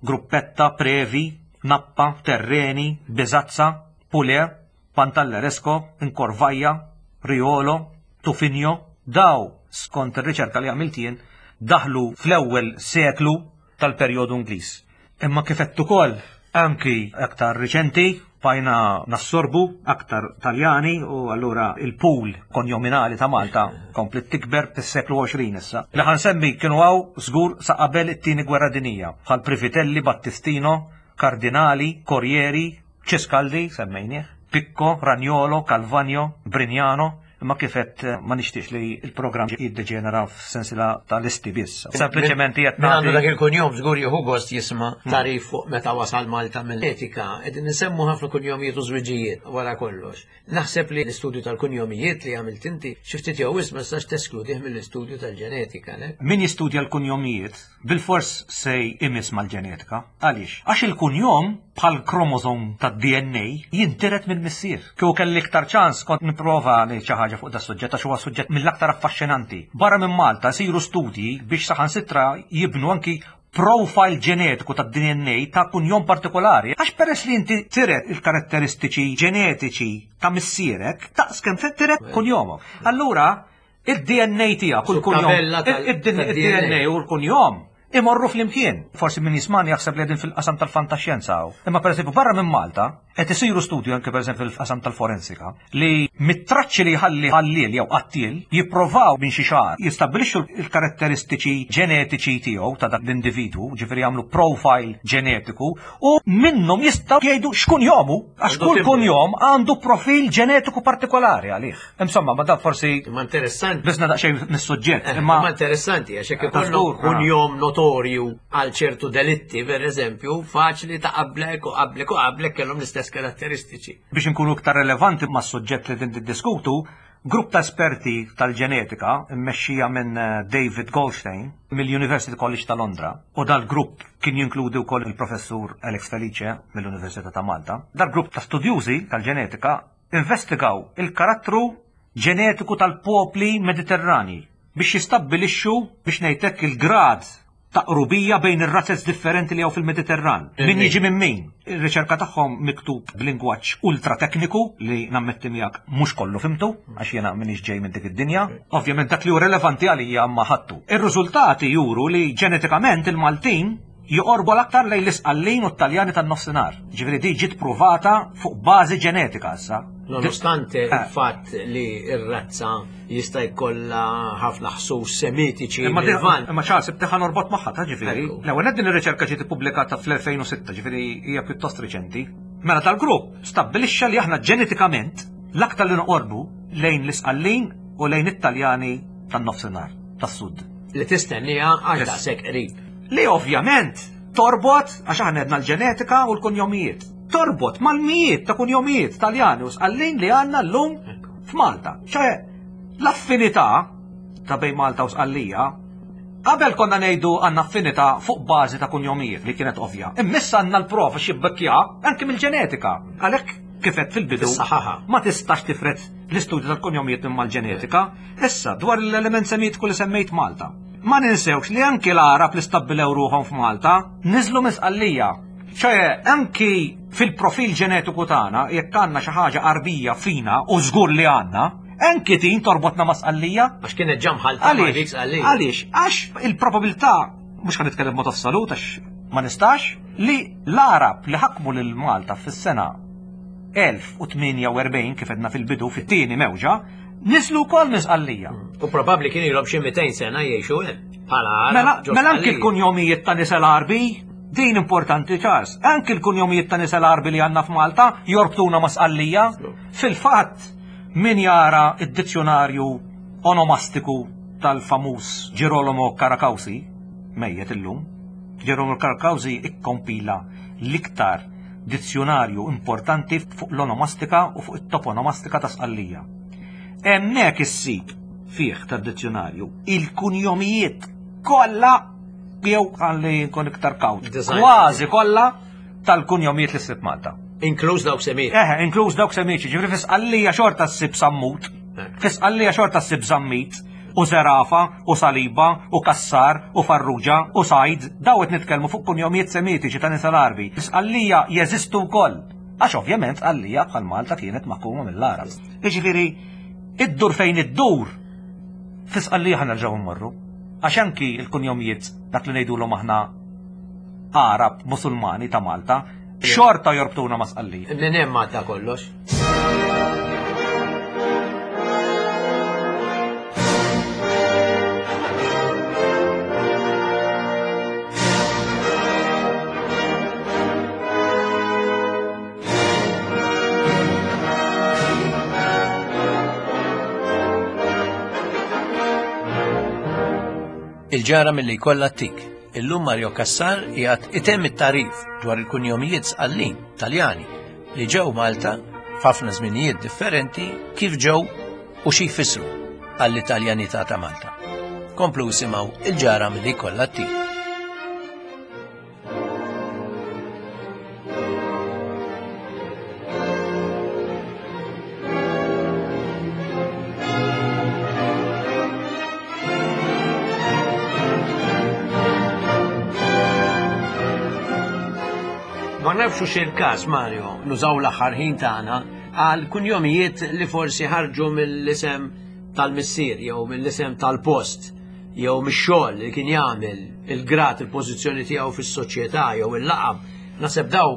Gruppetta, Previ, Nappa, Terreni, Bizazza, Pule, Pantalleresco, Incorvaja, Riolo, Tufinio, daw skont ir-riċerka li għamilt jien daħlu fl-ewwel seklu tal-perjodu Ingliż. Imma kif qed ukoll anki aktar riċenti, Bajna nassorbu aktar Taljani u allura il-pool konjominali ta' Malta komplet tikber fis-seklu għoxrin issa. Li ħa nsemmi kienu hawn żgur sa qabel it-tieni gwerra dinija, bħal Privitelli, Battistino, Cardinali, Corrieri, Ciscaldi, semmejnieh, Picco, Ragnolo, Calvagno, Brignano, imma kif għedt ma nixtiex li il-programm jiddeġenera f'sensila ta' listi biss. Sempliċement qed Min għandu dak il-kunjom żgur jieħu gost jisma' tarif fuq meta wasal Malta mill-etika. Qegħdin nsemmu ħafna kunjomijiet u żwiġijiet wara kollox. Naħseb li l-istudju tal-kunjomijiet li għamilt inti xi ftit jew wisq ma tistax teskludih mill-istudju tal-ġenetika, ne? Min jistudja l-kunjomijiet bil-fors se jmiss mal-ġenetika. Għaliex? Għax il-kunjom bħal kromozom tad-D N A jintiret minn missier. Kieku kelli iktar ċans kont nipprova ngħid xi ħaġa fuq da suġġett għax huwa suġġett mill-aktar affaxxinanti. Barra minn Malta siru studji biex saħansitra jibnu anki profile ġenetiku tad-D N A ta' kunjom partikolari. Għax peress li inti tiret il-karatteristiċi ġenetiċi ta' missierek, ta' skem tiret kunjomok. Allura, il-D N A tiegħek u l-kunjom, Tabella tal- il-D N A u l-kunjom imorru flimkien. Forsi min jismani jaħseb li qegħdin fil-qasam tal-fantaxjenza hawn. Imma pereżempju barra minn Malta qed isiru studju anke pereżempju fil-qasam tal-forensika li mit-traċċi li jħalli ħalliel jew qattiel jipprovaw minn xi xahar jistabbilixxu l-karatteristiċi ġenetiċi tiegħu ta' dak l-individwu, ġifieri jagħmlu profile ġenetiku u minnhom jistgħu jgħidu x'kunjomu għax Għandu kull timbru. kunjom għandu profil ġenetiku partikolari għalih. Insomma, ma dan forsi Imma interessanti. biżna daqsxejn mis-suġġett, Imma imma interessanti, għax jekk Ta' ikollok żgur, ah. kunjom notorju għal ċertu delitti, per eżempju, faċli ta' qablek u qablek u qablek kellhom l-istess karatteristiċi. Biex nkunu iktar relevanti ma' suġġett li din diskutu, grupp ta' esperti tal-ġenetika mmexxija minn eh, David Goldstein mill-University College ta' Londra, u dal-grupp kien jinkludi wkoll il-professur Alex Felice mill-Università ta' Malta. Dal-grupp ta' studjużi tal-ġenetika investigaw il-karattru ġenetiku tal-popli mediterrani biex jistabbilixxu, biex ngħidlek, il-grad ta' qrubija bejn ir-razzez differenti li hawn fil-Mediterran. Min jiġi minn min. Ir-riċerka tagħhom miktub b'lingwaġġ ultra tekniku li nammetti miegħek mhux kollu fhimtu, għax jiena m'iniex ġej minn dik id-dinja. Ovvjament dak li hu relevanti għalija ma ħadtu. Ir-riżultati juru li ġenetikament il-Maltin joqorbu l-aktar lejn l-Isqallin u t-Taljani tan-nofsinhar. Ġifieri di ġiet pruvata fuq bażi ġenetika issa. Nonostante Eh. il-fatt li ir-razza jista' jkollha ħafna ħsus semitiċi Imma di- mill-Lvant. imma ċans ibtiħa norbot magħha ta' ġifieri. Ekku. L-ewwel din ir-riċerka ġiet ippubblikata fl-elfejn u sitta, ġifieri hija pjuttost riċenti. Mela tal-grupp stabbilixxa li aħna ġenetikament l-aktar li noqorbu lejn l-Isqallin u lejn it-Taljani tan-nofsinhar, tas-sud. Li tistennija għax Yes. daqshekk qrib. Li ovvjament torbot, għax aħna għedna l-ġenetika u l-kunjomijiet. Torbot mal-mijiet ta' kunjomijiet Taljani u Sqallin li għandna llum f'Malta. ċe l-affinità ta' bejn Malta u Sqallija, qabel konna ngħidu għandna affinità fuq bażi ta' kunjomijiet li kienet ovvja. Imma issa għandna l-prova xibbekkja anke mill-ġenetika. Għalhekk kif għedt fil-bidu Tissaħħaħa. ma tistax tifret l-istudju tal-kunjomijiet minn mal-ġenetika. Issa dwar l-element semitiku li semmejt Malta. Ma ninsewx li anki l-Arab li stabbilew ruħhom f'Malta niżlu minn Sqallija. ċe anki fil-profil ġenetiku tagħna jekk għandna xi ħaġa Arbija fina, u żgur li għandna, anki tin torbotna ma' Sqallija. Għax kienet ġa mħallta ma' dik Għaliex? Sqallija. Għaliex? Għax il-probabilità, mhux ħa nitkellem mod assolut għax ma nistax, li l-Arab li ħakmu lil Malta fis-sena elf u tmienja u erbgħin, kif għedna fil-bidu, fit-tieni mewġa, niżlu wkoll minn Sqallija. U probabbli kien ilhom xi mitejn sena jgħixu hemm. Bħala Arab Mela, ġo mela anki Sqallija. l-kunjomijiet ta' nisel Arbi, din importanti, Charles, anki l-kunjomijiet ta' nisel Arbi li għandna f'Malta jorbtuna ma' Sqallija. Fil-fatt, min jara id-dizzjonarju onomastiku tal-famuż Girolamo Caracausi, mejjet illum, Girolamo Caracausi ikkompila l-iktar dizzjonarju importanti fuq l-onomastika u fuq it-toponomastika ta' Sqallija. Hemmhekk issib fih tad-dizzjonarju il-kunjomijiet kollha, jew għalli nkun iktar kawt, Design. kważi kollha tal-kunjomijiet li ssib Malta. Inkluż dawk semit. Eħe, inkluż dawk semiċi, ġifieri fi Sqallija xorta ssib Sammut, fi Sqallija xorta ssib Zammit, u Zerafa, u Saliba, u Kassar, u Farrugia, u Sajd, daw qed nitkellmu fuq kunjomijiet semitiċi ta' nisel Arbi. Sqallija jeżistu wkoll. Għax ovvjament Sqallija bħal Malta kienet maħkuma mill-Arab. Jiġifieri, iddur fejn iddur, fi Sqallija ħa nerġgħu mmorru. Għax anki il-kunjomijiet dak li ngħidulhom aħna Arab Musulmani ta' Malta, Xorta jorbtuna ma' Sqallija. Minn hemm għadda kollox. Il-ġara milli jkollha tik. Illum Mario Cassar qiegħed itemm it-tagħrif dwar il-kunjomijiet Sqallin Taljani li ġew Malta f'ħafna żminijiet differenti kif ġew u xi jfissru għall-Italjanità ta' Malta. Komplu isimgħu il-ġara milli jkollha tik. Ma nafx hux il-każ, Mario, nużaw l-aħħar ħin tagħna għal kunjomijiet li forsi ħarġu mill-isem tal-missier jew mill-isem tal-post jew mix-xogħol li kien jagħmel, il-grad, il-pożizzjoni tiegħu fis-soċjetà jew il-laqam. Naħseb daw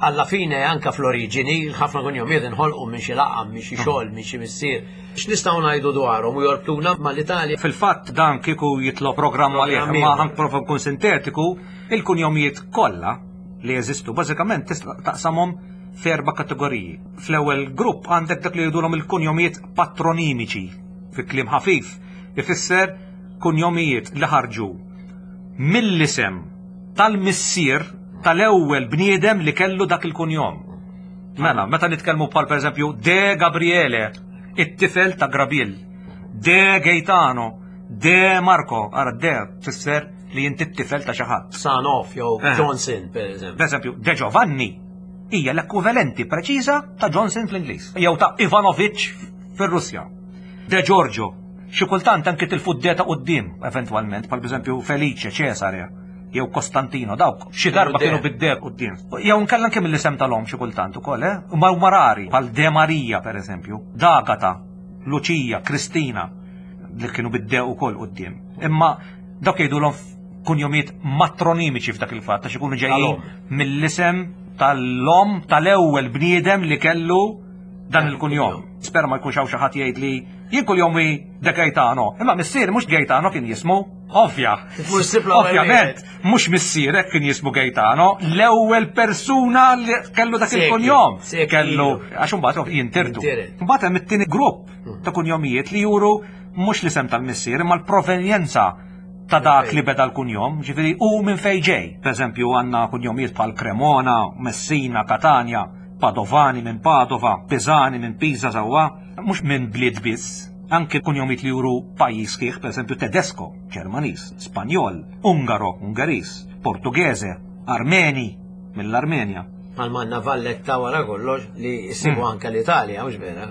alla fine anka fl-oriġini ħafna kunjomijiet inħolqu minn xi laqam, minn xi xogħol, minn xi missier. X'nistgħu ngħidu dwarhom u jorbtuna mal-Italja? Fil-fatt dan kieku jitlob programm għalih, Programm imma ħa nprova nkun sintetiku, il-kunjomijiet kollha li jeżistu bażikament tista' taqsamhom f'erba' kategoriji. Fl-ewwel grupp għandek dak li jgħidulhom il-kunjomijiet patronimiċi, fi kliem ħafif, ifisser kunjomijiet li ħarġu mill-isem tal-missier tal-ewwel bniedem li kellu dak il-kunjom. Mela, meta nitkellmu bħal pereżempju De Gabriele, it-tifel ta' Grabiel, De Gaetano, De Marco, ara De tfisser li inti t-tifel ta' xi ħadd. Sanoff jew Eh. Johnson, per eżempju. Per eżempju, De Giovanni hija l-ekwivalenti preċiża ta' Johnson fl-Ingliż, jew ta' Ivanovic fir-Russja. De Giorgio, xi kultant anke tilfu d-D ta' quddiem eventwalment, bħal pereżempju Felice, Cesare, jew Costantino, dawk xi darba De. kienu bid-D quddiem. Jew nkella anke mill-isem tal-omm xi kultant ukoll, eh? Ma huma rari, bħal De Maria pereżempju, D'Agata, Lucia, Kristina, li kienu bid-D ukoll quddiem. Imma dawk jgħidulhom kunjomijiet matronimiċi f'dak il-fatt, għax ikunu ġejjin Tal-om. mill-isem tal-om tal-ewwel bniedem li kellu dan il-kunjom. Spera ma jkunx hawn xi ħadd jgħid li jien kuljom De Gaetano. Imma missier mhux Gaetano kien jismu, ovvja. Mhux sib l-ewwel Ovvjament, mhux missierek kien jismu Gaetano, l-ewwel persuna li kellu dak Sekli, il-kunjom. sekli Kellu, ilu. għax imbagħad jintirtu. Jintiret. Imbagħad hemm it-tieni grupp ta' kunjomijiet li juru mhux l-isem tal-missier imma l-provenjenza ta' dak li beda l-kunjom, ġifieri u minn fejn ġej. Per eżempju għandna kunjomijiet bħal Cremona, Messina, Catania, Padovani minn Padova, Pisani minn Pisa sewwa, mhux minn bliet biss, anke kunjomijiet li juru pajjiż kieħ, per eżempju Tedesco, Ġermaniż, Spanjol, Ungaro, Ungeriż, Portughese, Armeni, mill-Armenja. Għal manna Valletta wara kollox li jsibu Hmm. anke l-Italja, mhux vera?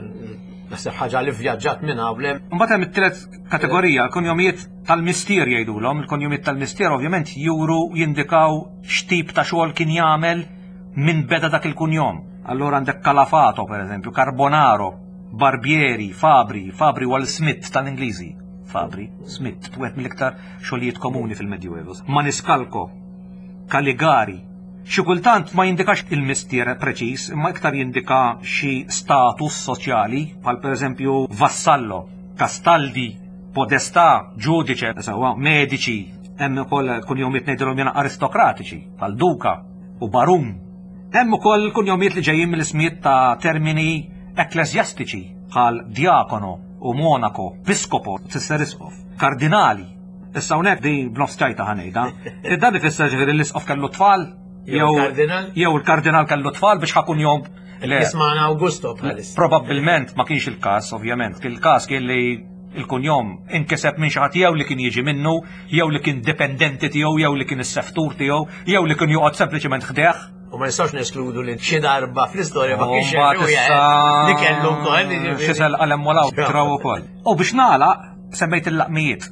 Naħseb ħaġa li vvjaġġat minn hawn hemm. Mbagħad hemm it-tielet kategorija, l-kunjomijiet tal-mistier jgħidulhom. Il-kunjomijiet tal-mistier ovvjament juru jindikaw x'tip ta' xogħol kien jagħmel minn beda dak il-kunjom. Allora għandek Calafato, per eżempju, Carbonaro, Barbieri, Fabri, Fabri huwa l-Smith tal-Ingliżi. Fabri, Smith, wieħed mill-iktar xogħlijiet komuni fil-Medjuevo. Maniscalco, Caligari. Xi kultant ma jindikax il-mistier preċiż, imma iktar jindika xi status soċjali, bħal pereżempju Vassallo, Castaldi, Podestà, Giudice, sewwa, Medici, hemm ukoll kunjomijiet ngħidilhom jiena aristokratiċi, bħal Duka u Barun. Hemm ukoll kunjomijiet li ġejjin mill-ismijiet ta' termini ekklesjastiċi, bħal Diakono u Monaco, Piscopo, tfisser isqof, Kardinali. Issa hawnhekk di b'nofs ċajta ħa ngħidha. Dan ifisser ġifieri l-isqof kellu tfal, Jew jew il-kardinal? jew il-kardinal kellu tfal biex ħa kunjom. Le, Jismana Augusto bħalissa. Probabbilment ma kienx il-każ, ovvjament. Kien il-każ kien li il-kunjom inkiseb minn xi ħadd jew li kien jiġi minnu, jew li kien dipendenti tiegħu, jew li kien is-seftur tiegħu, jew li kien joqgħod sempliċement ħdejh. U ma nistgħux neskludu li xi darba fl-istorja ma kienx U mbagħad hemm issa li kellu wkoll. jiġifieri. Xi sel qalem walaw traw ukoll. U biex nagħlaq semmejt il-laqmijiet.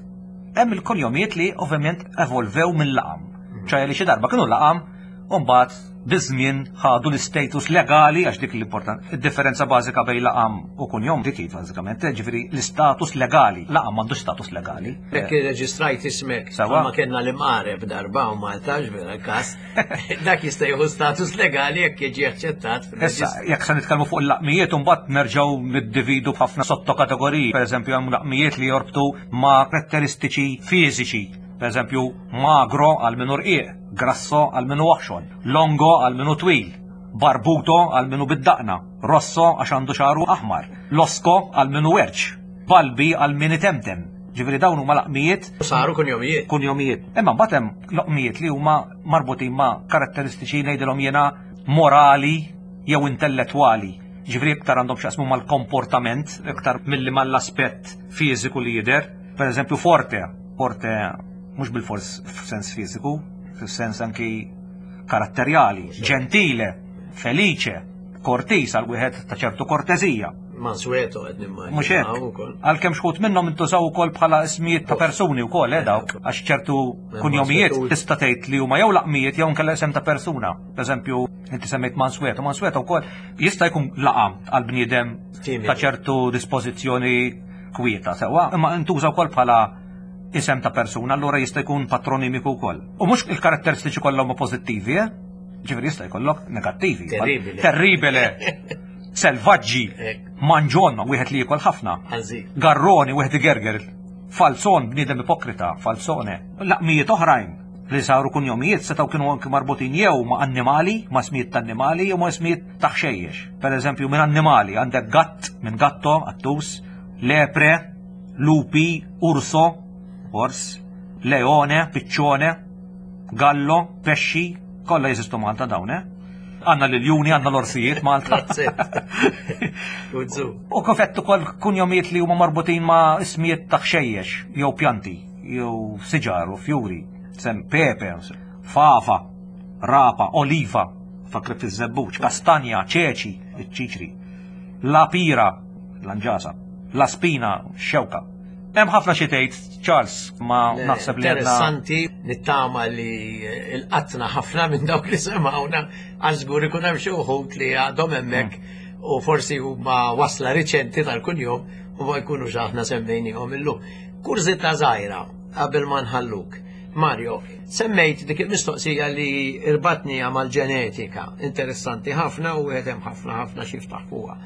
Hemm il-kunjomijiet li ovvjament evolvew mill-laqam. ċaj li xi darba kienu laqam U mbagħad biż-żmien ħadu l-istatus legali, għax dik l-important. Id-differenza bażika bejn laqam u kunjom dik hi bażikament, ġifieri l-istatus legali. Laqam m'għandux status legali. Jekk irreġistrajt ismek, Sewwa. ma kellna l-imqareb darba u Malta, vera kas, dak jista' jieħu status legali jekk jiġi aċċettat Issa, fil-reġistru. Jekk se nitkellmu fuq il-laqmijiet, imbagħad nerġgħu niddividu b'ħafna sottokategoriji. Per eżempju, hemm laqmijiet li jorbtu ma' karatteristiċi fiżiċi. Per eżempju, magro għal minu rqiq, grasso għal minu oħxon, longo għal minu twil, barbuto għal minu bid-daqna, rosso għax għandu xagħru aħmar, losco għal minu werċ, balbi għal min itemtem. Ġifieri dawn huma laqmijiet Saru kunjomijiet. Kunjomijiet. Imma mbagħad hemm loqmijiet li huma marbutin ma' karatteristiċi, ngħidilhom jiena, morali jew intellettwali. Ġifieri iktar għandhom x'jaqsmu mal-komportament iktar milli mal-aspett fiżiku li jidher. Per eżempju forte, forte mhux bil-fors f'sens fiżiku, f'sens anki karatterjali, gentile, felice, cortis għal wieħed ta' ċertu kortezija. Mansueto qed nimmaġina. Mhux hekk. Ukoll. Għalkemm xi wħud minnhom intużaw ukoll bħala ismijiet ta' persuni wkoll, eh, dawk, għax ċertu kunjomijiet Mansueto. Tista' tgħid li huma jew laqmijiet jew nkella isem ta' persuna. Per eżempju, inti semmejt Mansueto, Mansueto wkoll jista' jkun laqam għal bniedem Timidu. Ta' ċertu dispożizzjoni kwieta, sewwa, imma intuża wkoll bħala isem ta' persuna, allura jista' jkun patronimiku wkoll. U mhux il-karatteristiċi kollha huma pożittivi, eh? Ġifieri jista' jkollok negattivi. Terribile. Terribile. Selvaġġi. Hekk. Mangion, wieħed li jiekol ħafna. Ħażin. Garroni, wieħed igerger. Falzon, bniedem ipokrita, falzone. Laqmijiet oħrajn li saru kunjomijiet setgħu kienu anki marbutin jew ma' annimali, ma' smijiet ta' annimali, jew ma' smijiet ta' ħxejjex. Per eżempju, minn annimali għandek gatt, minn gatto, qattus, lepre, lupi, urso, ors, leone, piccione, gallo, pesci, kollha jeżistu Malta dawn, eh? Għandna l-iljuni, għandna l-orsijiet Malta. That's it. Uzzu. U kif għedt ukoll kunjomijiet li huma marbutin ma' ismijiet ta' ħxejjex, jew pjanti, jew siġar u fjuri, sem pepe, fava, rapa, oliva, fakri fiż-żebbuġ, kastanja, ċeċi, iċ-ċiċri, la pira, lanġasa, la spina, xewka. Hemm ħafna xi tgħid, Charles, ma naħseb li għandna Interessanti, nittama li laqatna ħafna minn dawk li semawna, għax żgur ikun hemm xi wħud li għadhom hemmhekk u forsi huma wasla riċenti tal-kunjom u ma jkunux aħna semmejnihom illum. Kurżità żgħira qabel ma nħalluk. Mario, semmejt dik il-mistoqsija li irbatnija mal-ġenetika, interessanti ħafna u hemm ħafna ħafna x'jiftaħ fuqha.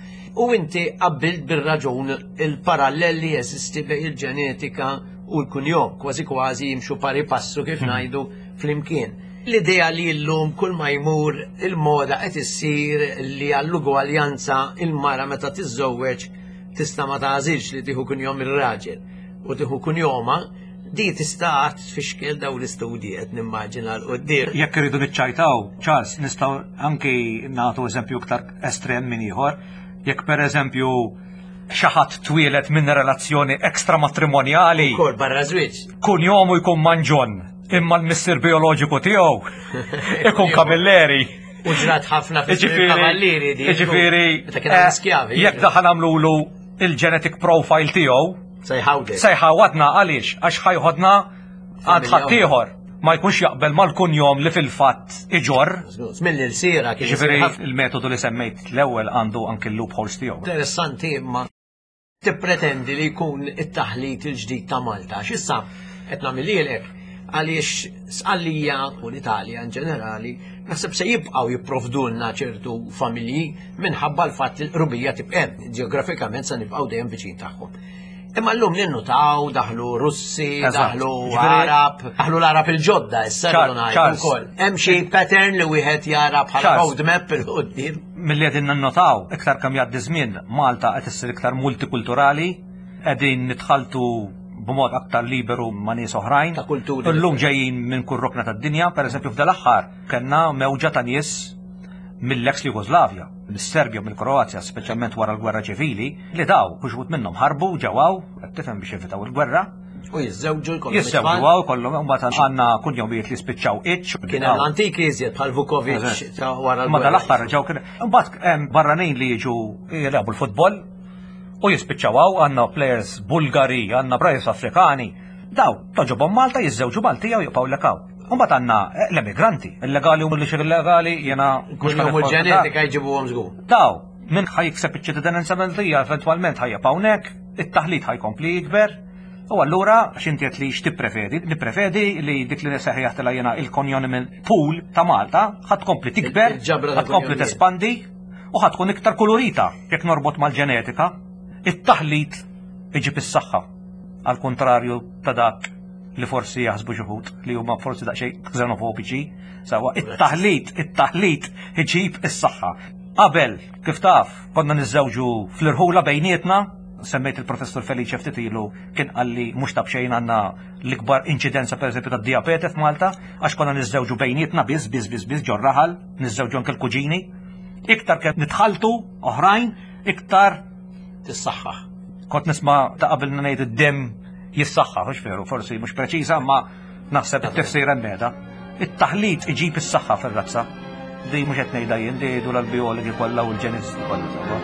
U inti qabbilt bir-raġun il-parallel li jeżisti bejn il-ġenetika u l-kunjom, kważi kważi jimxu pari passu, kif ngħidu, flimkien. L-idea li llum kull ma jmur il-moda qed issir li għall-ugwaljanza il-mara meta tiżżewweġ tista' ma tagħżilx li tieħu kunjom ir-raġel u tieħu kunjoma, di tista' tfixkel daw l-istudji, qed nimmaġina 'l quddiem. Jekk irridu niċċajtaw, Charles, nistgħu anki nagħtu eżempju iktar estrem minn ieħor. Jekk per eżempju xi ħadd twieled minn relazzjoni ekstramatrimonjali, Kol barra żwieġ. Kunjomu jkun Mangion, imma l-missier bioloġiku tiegħu ikun Camilleri. U ġrat ħafna fi Ġifieri, kavallieri di. ġifieri, Meta kien hemm eh, skjavi. Jekk daħal għamlulu il-genetic profile tiegħu, Se jħawdek. se jħawadna. Għaliex? Għax ħa jeħodna għand Familja. ħaddieħor. Ma jkunx jaqbel mal-kunjom li fil-fatt iġorr. Mill il-sira kien Ġifieri isir ħafna. Il-metodu li semmejt l-ewwel għandu anki l-loopholes tiegħu. Interessanti, imma tippretendi li jkun it-taħlit il-ġdid ta' Malta. X'issa qed nagħmililek għaliex Sqallija u l-Italja in ġenerali naħseb se jibqgħu jipprovdulna ċertu familji minħabba l-fatt li l-qrubija tibqa' hemm, ġeografikament se nibqgħu dejjem viċin tagħhom. Imma llum ninnutaw daħlu Russi, Eżatt. Daħlu Ġifieri- Arab, daħlu l-Arab il-ġodda, issa Char- rridu ngħidu Charles. wkoll. Hemm xi pattern li wieħed jara bħala Charles. roadmap 'il quddiem. Milli qegħdin nannotaw, iktar kemm jgħaddi żmien, Malta qed issir iktar multikulturali, qegħdin nitħaltu b'mod aktar liberu ma' nies oħrajn. Ta' kulturi. Illum ġejjin minn kull rokna tad-dinja, pereżempju f'dal-aħħar kellna mewġa ta' nies mill-ex Jugoslavja, mis-Serbja, mill-Kroazja, speċjalment wara l-gwerra ċivili, li daw, uħud minnhom ħarbu ġew hawn, qed tifhem, biex jevitaw il-gwerra, U jiżżewġu jkollhom jiżżewġu it-tfal. Hawn kollhom, mbagħad għandna kunjomijiet li spiċċaw iċ. Kien hemm l-antiki iżjed bħal Vukovic Eżatt. ta' wara Ma l-gwerra. dal-aħħar ġew kien. Imbagħad hemm barranin li jiġu jilagħbu l-futbol u jispiċċaw hawn, għandna players Bulgari, għandna players Afrikani. Daw, togħġobhom Malta, jiżżewġu Maltija u jibqgħu lekaw. Mbagħad għandna l-emigranti, illegali u mhux illegali, jiena mhux ġenetika jġibuhom żgur. Daw, min ħa jikseb iċ-ċittadinanza Maltija eventwalment ħa jibqa' hawnhekk, it-taħlit ħa jkompli jikber. U allura x'inti qed li x'tippreferi? Nippreferi li dik li sejjaħtilha jiena il-cognomen pool ta' Malta ħa tkompli tikber, ħa tkompli tespandi u ħa tkun iktar kolorita jekk norbot mal-ġenetika. It-taħlit iġib is-saħħa, għal kontrarju ta' dak li forsi jaħsbu xi wħud li huma forsi daqsxejn xenofobiċi. Sawa, it-taħlit, it-taħlit iġib is-saħħa. Qabel, kif taf, konna niżżewġu fl-irħula bejnietna, semmejt il-professor Felice ftit ilu kien qalli mhux ta' b'xejn għandna l-ikbar inċidenza pereżempju tad-dijabete f'Malta, għax konna niżżewġu bejnietna biss, biss, biss, biss ġor-raħal, niżżewġu anke l-kuġini. Iktar kemm nitħaltu oħrajn, iktar tissaħħaħ. Kont nisma' ta' qabel ngħid id-demm jissaħħaħ, mhux veru, forsi mhux preċiża, ma naħseb it-tifsira hemm. It-taħlit iġib is-saħħa fir-razza. Di mhux qed ngħidha jien, di jgħidu l-biologi kollha u l-ġenisti kollha sewwa.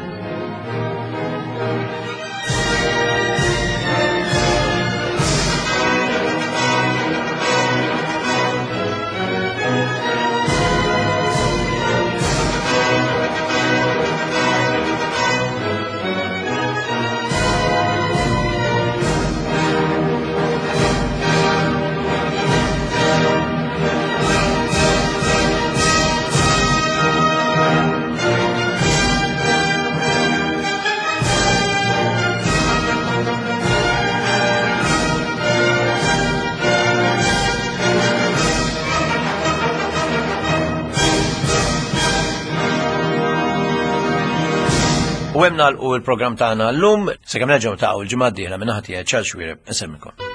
U hemm nagħlqu l-programm tagħna llum, sakemm nerġgħu niltaqgħu l-ġimgħa d-dieħla minn naħa tiegħi Charles Xuereb, insellmilkom.